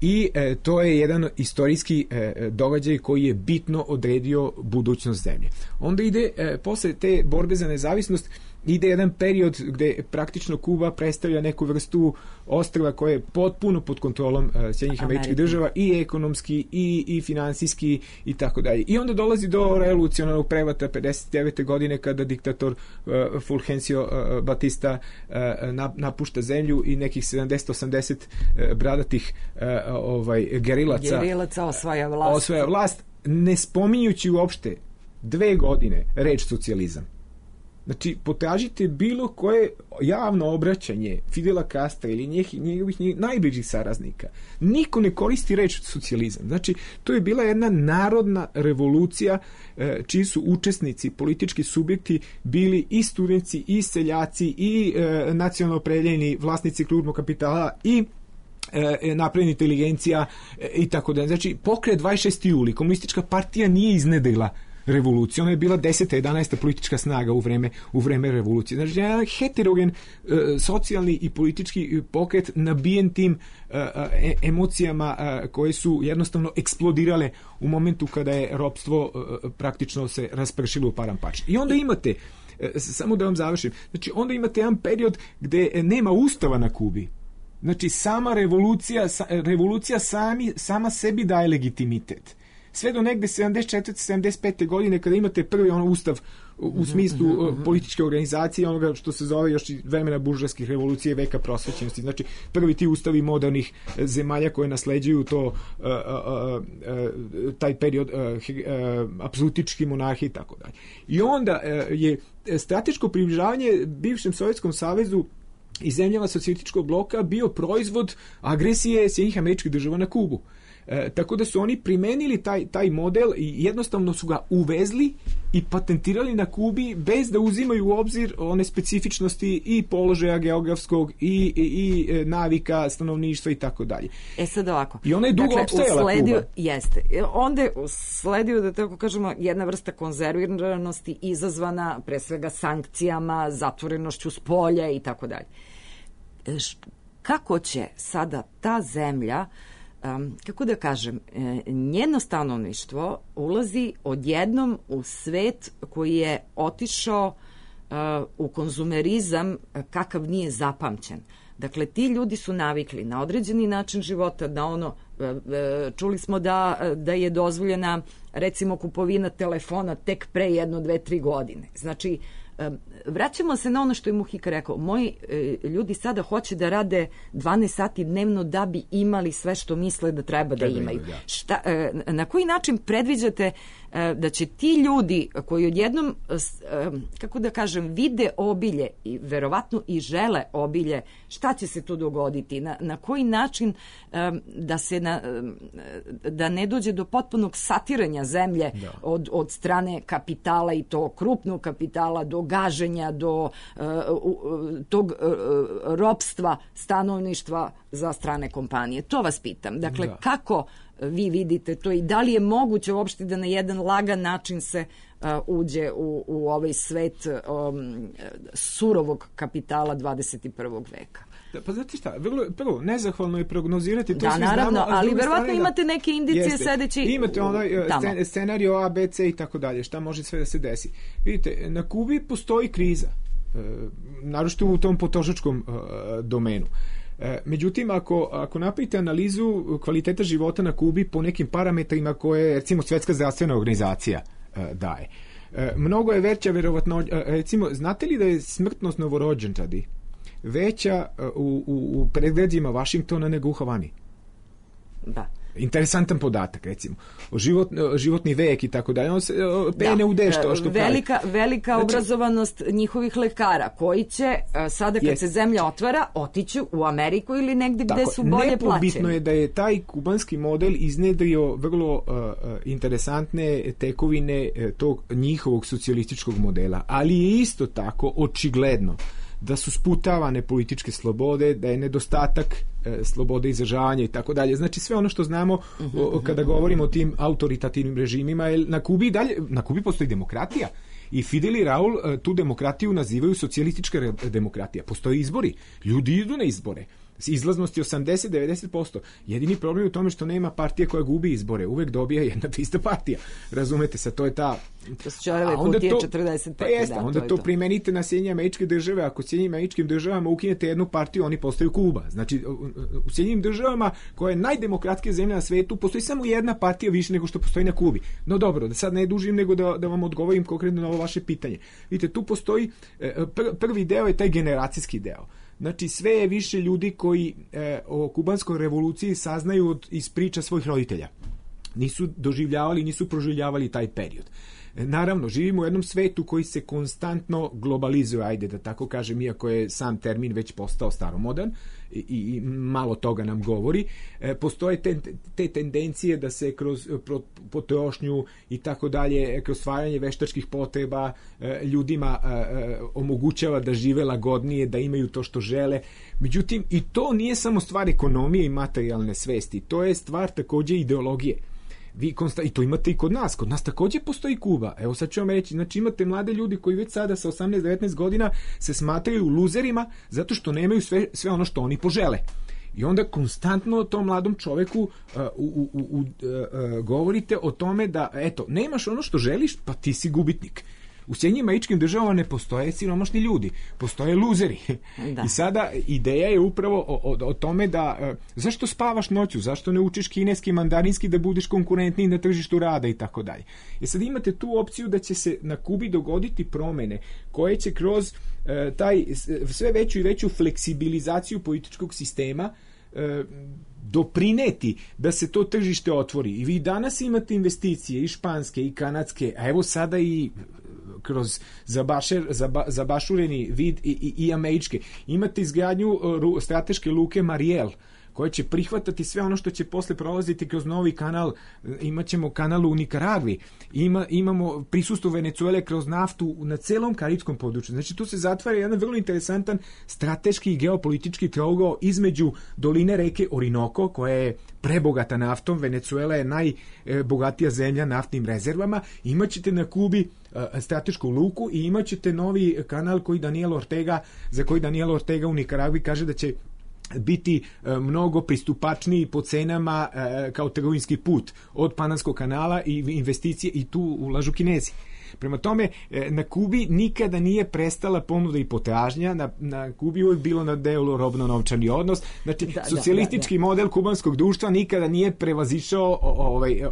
i to je jedan istorijski događaj koji je bitno odredio budućnost zemlje. Onda ide, posle te borbe za nezavisnost, ide jedan period gde praktično Kuba predstavlja neku vrstu ostrva koje je potpuno pod kontrolom Sjedinjenih Američkih Država i ekonomski i finansijski i tako dalje. I onda dolazi do revolucionarnog prevrata 59. godine kada diktator Fulgencio Batista napušta zemlju i nekih 70-80 bradatih gerilaca osvaja vlast, ne spominjući uopšte 2 godine reč socijalizam. Znači, potražite bilo koje javno obraćanje Fidela Castra ili njegovih najbližih saraznika. Niko ne koristi reč socijalizam. Znači, to je bila jedna narodna revolucija čiji su učesnici, politički subjekti bili i studenti, i seljaci, i nacionalno opredeljeni vlasnici krupnog kapitala, i napredna inteligencija i tako da. Znači, pokret 26. juli, komunistička partija nije iznedrila revolucija, ona je bila 10. 11. politička snaga u vreme revolucije. Znači, jedan heterogen socijalni i politički pokret nabijen tim emocijama koje su jednostavno eksplodirale u momentu kada je ropstvo praktično se raspršilo u paramparč. I onda imate, samo da vam završim, znači onda imate jedan period gde nema ustava na Kubi. Znači, sama revolucija sama sebi daje legitimitet. Sve do negde 74. 75. godine kada imate prvi ustav u smislu političke organizacije, onoga što se zove još i vremena buržovskih revolucije, veka prosvećenosti. Znači, prvi ti ustavi modernih zemalja koje nasleđuju taj period apsolutički monarhije i tako dalje. I onda je strateško približavanje bivšem Sovjetskom savezu i zemljama socijalističkog bloka bio proizvod agresije Sjedinjenih Američkih Država na Kubu. Tako da su oni primenili taj model i jednostavno su ga uvezli i patentirali na Kubi bez da uzimaju u obzir one specifičnosti i položaja geografskog i navika stanovništva i tako dalje. Sad ovako. I ona je dugo opstajala Kuba. Jeste. Onda je usledio, da tako kažemo, jedna vrsta konzerviranosti izazvana pre svega sankcijama, zatvorenošću s polja i tako dalje. Kako će sada ta zemlja, kako da kažem, njeno stanovništvo ulazi odjednom u svet koji je otišao u konzumerizam kakav nije zapamćen. Dakle, ti ljudi su navikli na određeni način života, da čuli smo da je dozvoljena recimo kupovina telefona tek pre 1, 2, 3 godine. Znači, vraćamo se na ono što je Muhika rekao. Moji ljudi sada hoće da rade 12 sati dnevno da bi imali sve što misle da treba da imaju. Na koji način predviđate da će ti ljudi koji odjednom, kako da kažem, vide obilje i verovatno i žele obilje, šta će se tu dogoditi? Na koji način da ne dođe do potpunog satiranja zemlje od strane kapitala, i to krupnog kapitala, do gaženja, do tog ropstva stanovništva za strane kompanije. To vas pitam. Dakle, kako vi vidite to i da li je moguće uopšte da na jedan lagan način se uđe u ovaj svet surovog kapitala 21. veka? Pa znate šta, prvo, nezahvalno je prognozirati, to svi naravno, znamo, ali verovatno imate neke indicije sedeći imate scenario A, B, C i tako dalje, šta može sve da se desi. Vidite, na Kubi postoji kriza, naročito u tom potrošačkom domenu. Međutim, ako napravite analizu kvaliteta života na Kubi po nekim parametrima koje, recimo, Svjetska zdravstvena organizacija daje, mnogo je veća verovatno, recimo, znate li da je smrtnost novorođenčadi veća u predgrađima Vašingtona nego u Havani? Da. Interesantan podatak, recimo. Životni vek i tako dalje. PNUD što velika obrazovanost njihovih lekara, koji će sada kad se zemlja otvara otići u Ameriku ili negde gde su bolje plaćeni. Nepobitno je da je taj kubanski model iznedrio vrlo interesantne tekovine tog njihovog socijalističkog modela, ali je isto tako očigledno da su sputavane političke slobode, da je nedostatak slobode izražavanja i tako dalje. Znači, sve ono što znamo kada govorimo o tim autoritativnim režimima, na Kubi postoji demokratija. I Fidel i Raul tu demokratiju nazivaju socijalistička demokratija. Postoje izbori. Ljudi idu na izbore. Izlaznost je 80-90%. Jedini problem je u tome što nema partije koja gubi izbore. Uvek dobija jedna te ista partija. Razumete se, to je ta... To su čorave kutije 45. Pa jeste, onda to primenite na Sjedinjene Američke Države. Ako Sjedinjenim Američkim Državama ukinete jednu partiju, oni postaju Kuba. Znači, u Sjedinjenim Državama, koja je najdemokratskija zemlja na svetu, postoji samo jedna partija više nego što postoji na Kubi. No dobro, da sad ne dužim, nego da vam odgovorim konkretno na ovo vaše pitanje. Vidite, tu postoji, prvi deo je taj generacijski deo. Znači, sve je više ljudi koji o kubanskoj revoluciji saznaju iz priča svojih roditelja. Nisu doživljavali, nisu proživljavali taj period. Naravno, živimo u jednom svetu koji se konstantno globalizuje, ajde da tako kažem, iako je sam termin već postao staromodan i malo toga nam govori. Postoje te tendencije da se kroz potrošnju i tako dalje, kroz stvaranje veštačkih potreba ljudima omogućava da žive lagodnije, da imaju to što žele. Međutim, i to nije samo stvar ekonomije i materijalne svesti, to je stvar takođe ideologije. I to imate i kod nas takođe postoji Kuba. Evo sad ću vam reći, znači imate mlade ljudi koji već sada sa 18-19 godina se smatraju luzerima zato što nemaju sve ono što oni požele. I onda konstantno tom mladom čoveku govorite o tome da, eto, nemaš ono što želiš, pa ti si gubitnik. U Sjedinjenim Američkim Državama ne postoje siromašni ljudi, postoje luzeri. Da. I sada ideja je upravo o tome da zašto spavaš noću, zašto ne učiš kineski, mandarinski da budeš konkurentniji na tržištu rada i tako dalje. I sad imate tu opciju da će se na Kubi dogoditi promene koje će kroz taj sve veću i veću fleksibilizaciju političkog sistema doprineti da se to tržište otvori. I vi danas imate investicije i španske i kanadske, a evo sada i kroz zabašureni vid i američke. Imate izgradnju strateške luke Mariel, koje će prihvatati sve ono što će posle prolaziti kroz novi kanal. Imaćemo kanal u Nikaragvi, imamo prisustvo Venecuele kroz naftu na celom karibskom području. Znači tu se zatvara jedan vrlo interesantan strateški i geopolitički trougao između doline reke Orinoco, koja je prebogata naftom, Venecuela je najbogatija zemlja naftnim rezervama, imaćete na Kubi stratešku luku i imaćete novi kanal za koji Daniel Ortega u Nikaragvi kaže da će biti mnogo pristupačniji po cenama kao trgovinski put od Panamskog kanala i investicije, i tu ulažu Kinezi. Prema tome, na Kubi nikada nije prestala ponuda i potražnja, na Kubi uvijek bilo na delu robno-novčani odnos, znači socijalistički model kubanskog društva nikada nije prevazišao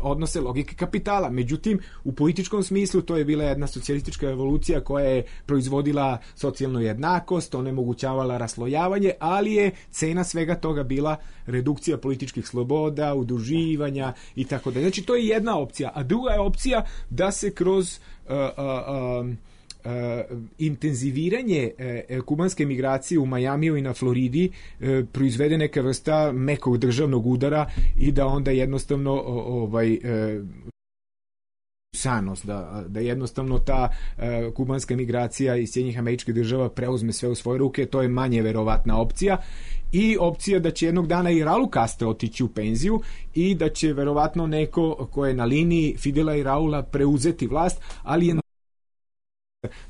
odnose logike kapitala. Međutim, u političkom smislu to je bila jedna socijalistička revolucija koja je proizvodila socijalnu jednakost, onemogućavala raslojavanje, ali je cena svega toga bila redukcija političkih sloboda, udruživanja i tako dalje. Znači, to je jedna opcija. A druga je opcija da se kroz intenziviranje kubanske migracije u Majamiju i na Floridi proizvede neka vrsta mekog državnog udara i da onda jednostavno sanost, da jednostavno ta kubanska migracija iz Sjedinjenih Američkih Država preuzme sve u svoje ruke. To je manje verovatna opcija. I opcija da će jednog dana i Raul Castro otići u penziju i da će verovatno neko ko je na liniji Fidela i Raula preuzeti vlast, ali je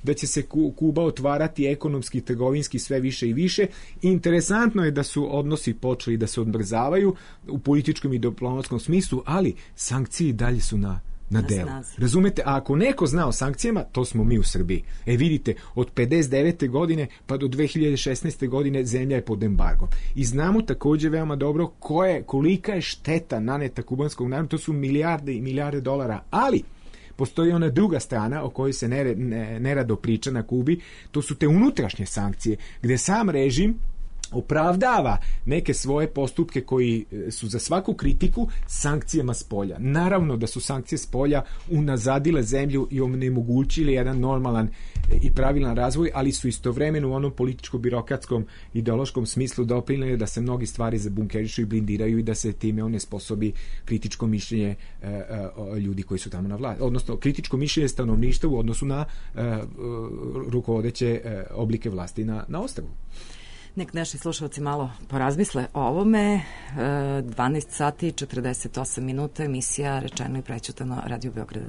da će se Kuba otvarati ekonomski i trgovinski sve više i više. Interesantno je da su odnosi počeli da se odmrzavaju u političkom i diplomatskom smislu, ali sankcije dalje su na delu. Razumete? A ako neko zna o sankcijama, to smo mi u Srbiji. Vidite, od 59. godine pa do 2016. godine zemlja je pod embargom. I znamo takođe veoma dobro kolika je šteta naneta kubanskog naroda, to su milijarde i milijarde dolara, ali postoji ona druga strana o kojoj se nerado priča na Kubi, to su te unutrašnje sankcije, gde sam režim opravdava neke svoje postupke koji su za svaku kritiku sankcijama spolja. Naravno da su sankcije spolja unazadile zemlju i onemogućili jedan normalan i pravilan razvoj, ali su istovremeno u onom političko-birokratskom ideološkom smislu doprineli da se mnogi stvari zabunkerišu i blindiraju i da se time onesposobi kritičko mišljenje ljudi koji su tamo na vlasti. Odnosno, kritičko mišljenje stanovništva u odnosu na rukovodeće oblike vlasti na ostrvu. Nek naši slušalci malo porazmisle o ovome. 12 sati i 48 minuta, emisija Rečeno i prećutano, Radio Beograd 2.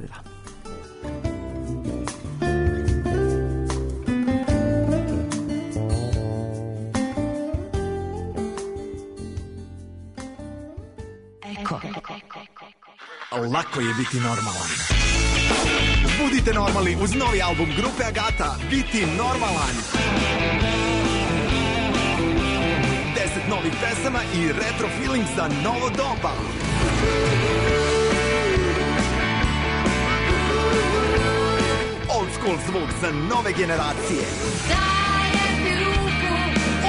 Eko. Lako je biti normalan. Budite normalni uz novi album grupe Agata, Biti normalan. 10 novih pesama i retro feeling za novo doba. Old school zvuk za nove generacije. Dajem ti ruku,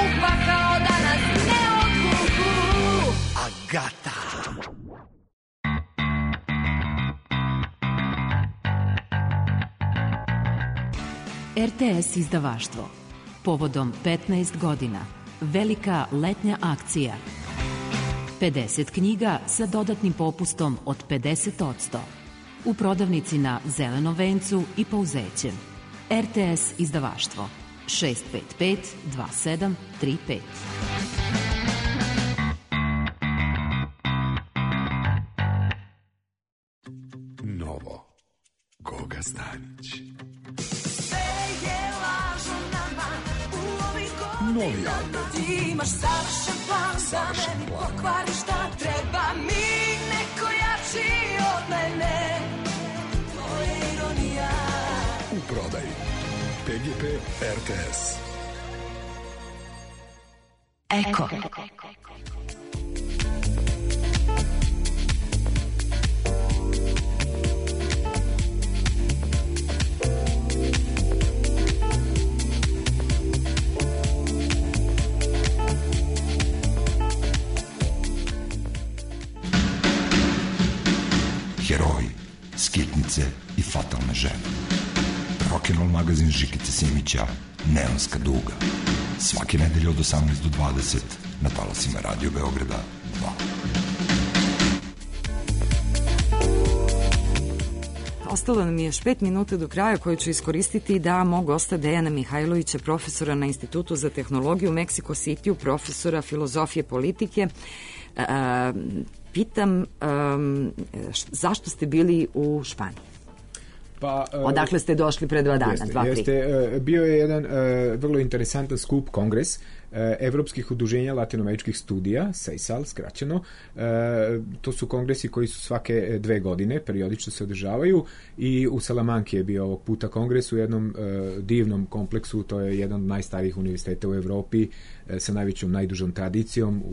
upakao da nas ne odvuku. Agata. RTS izdavaštvo. Povodom 15 godina. Velika letnja akcija. 50 knjiga sa dodatnim popustom od 50%. U prodavnici na Zelenom vencu i Pouzećem. RTS izdavaštvo. 655 2735. Novo. Goga Stanić. Novi album. Imaš savršen plan da meni pokvari šta treba mi, neko jači od mene. To je ironija. U prodaji. PGP RTS. Eko. Heroji, skitnice i fatalne žene. Rock'n'roll magazin Žikice Simića, Neonska duga. Svake nedelje od 18 do 20 na talasima Radio Beograda 2. Ostalo nam je još 5 minuta do kraja koju ću iskoristiti da mog gosta Dejana Mihajlovića, profesora na Institutu za tehnologiju u Meksiko Cityu, profesora filozofije politike, pitam zašto ste bili u Španiji? Pa, odakle ste došli pre 2 dana? Bio je jedan vrlo interesantan skup, kongres evropskih udruženja latinoameričkih studija, SEISAL skraćeno. To su kongresi koji su svake 2 godine, periodično se održavaju, i u Salamanki je bio ovog puta kongres u jednom divnom kompleksu. To je jedan od najstarijih univerziteta u Evropi sa najvećom, najdužom tradicijom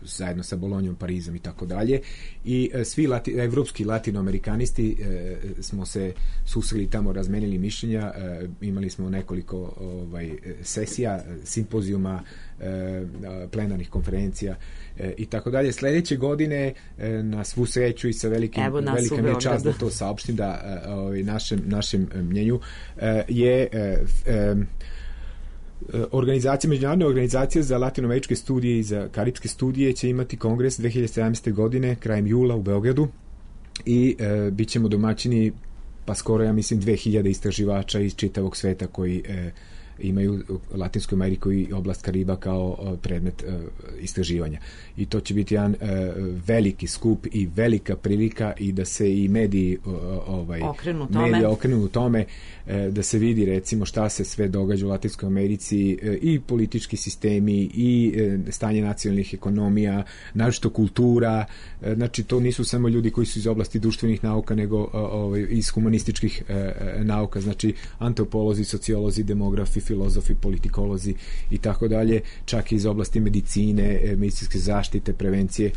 zajedno sa Bolonjom, Parizom i tako dalje, i svi evropski latinoamerikanisti smo se susreli tamo, razmenili mišljenja, imali smo nekoliko sesija, simpozijuma, plenarnih konferencija i tako dalje. Sledeće godine, na svu sreću i sa velika mi je čast da to saopštim, da našem mnjenju je međunarodna organizacija za latinoameričke studije i za karipske studije će imati kongres 2017. godine, krajem jula u Beogradu, i bit ćemo domaćini, pa skoro, ja mislim, 2000 istraživača iz čitavog sveta koji imaju Latinsku Ameriku i oblast Kariba kao predmet istraživanja. I to će biti jedan veliki skup i velika prilika i da se i mediji okrenu tome, da se vidi, recimo, šta se sve događa u Latinskoj Americi, i politički sistemi i stanje nacionalnih ekonomija, naročito kultura. Znači, to nisu samo ljudi koji su iz oblasti društvenih nauka, nego iz humanističkih nauka, znači antropolozi, sociolozi, demografi, filozofi, politikolozi i tako dalje, čak i iz oblasti medicine, medicinske zaštite, prevencije,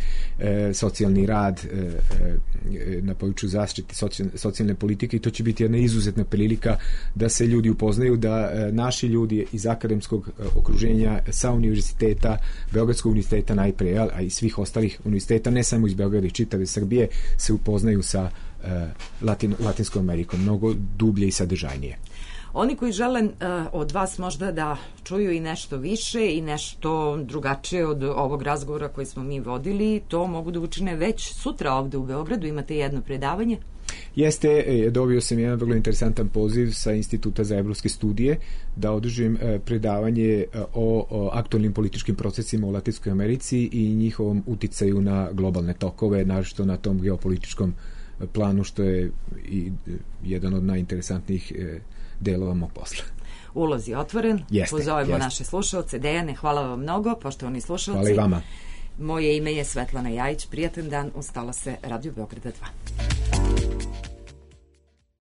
socijalni rad na području zaštite socijalne politike, i to će biti jedna izuzetna prilika da se ljudi upoznaju, da naši ljudi iz akademskog okruženja sa univerziteta, Beogradskog univerziteta najpre, a i svih ostalih univerziteta, ne samo iz Beograda i čitave Srbije, se upoznaju sa Latinskom Amerikom mnogo dublje i sadržajnije. Oni koji žele od vas možda da čuju i nešto više i nešto drugačije od ovog razgovora koji smo mi vodili, to mogu da učine već sutra ovde u Beogradu. Imate jedno predavanje? Jeste, dobio sam jedan vrlo interesantan poziv sa Instituta za evropske studije da održim predavanje o aktualnim političkim procesima u Latinskoj Americi i njihovom uticaju na globalne tokove, naročito na tom geopolitičkom planu, što je i jedan od najinteresantnijih delova mog posla. Ulaz je otvoren. Pozovemo naše slušalce. Dejane, hvala vam mnogo, poštovani slušalci. Hvala i vama. Moje ime je Svetlana Jajić. Prijatan dan, ustala se Radio Beograda 2.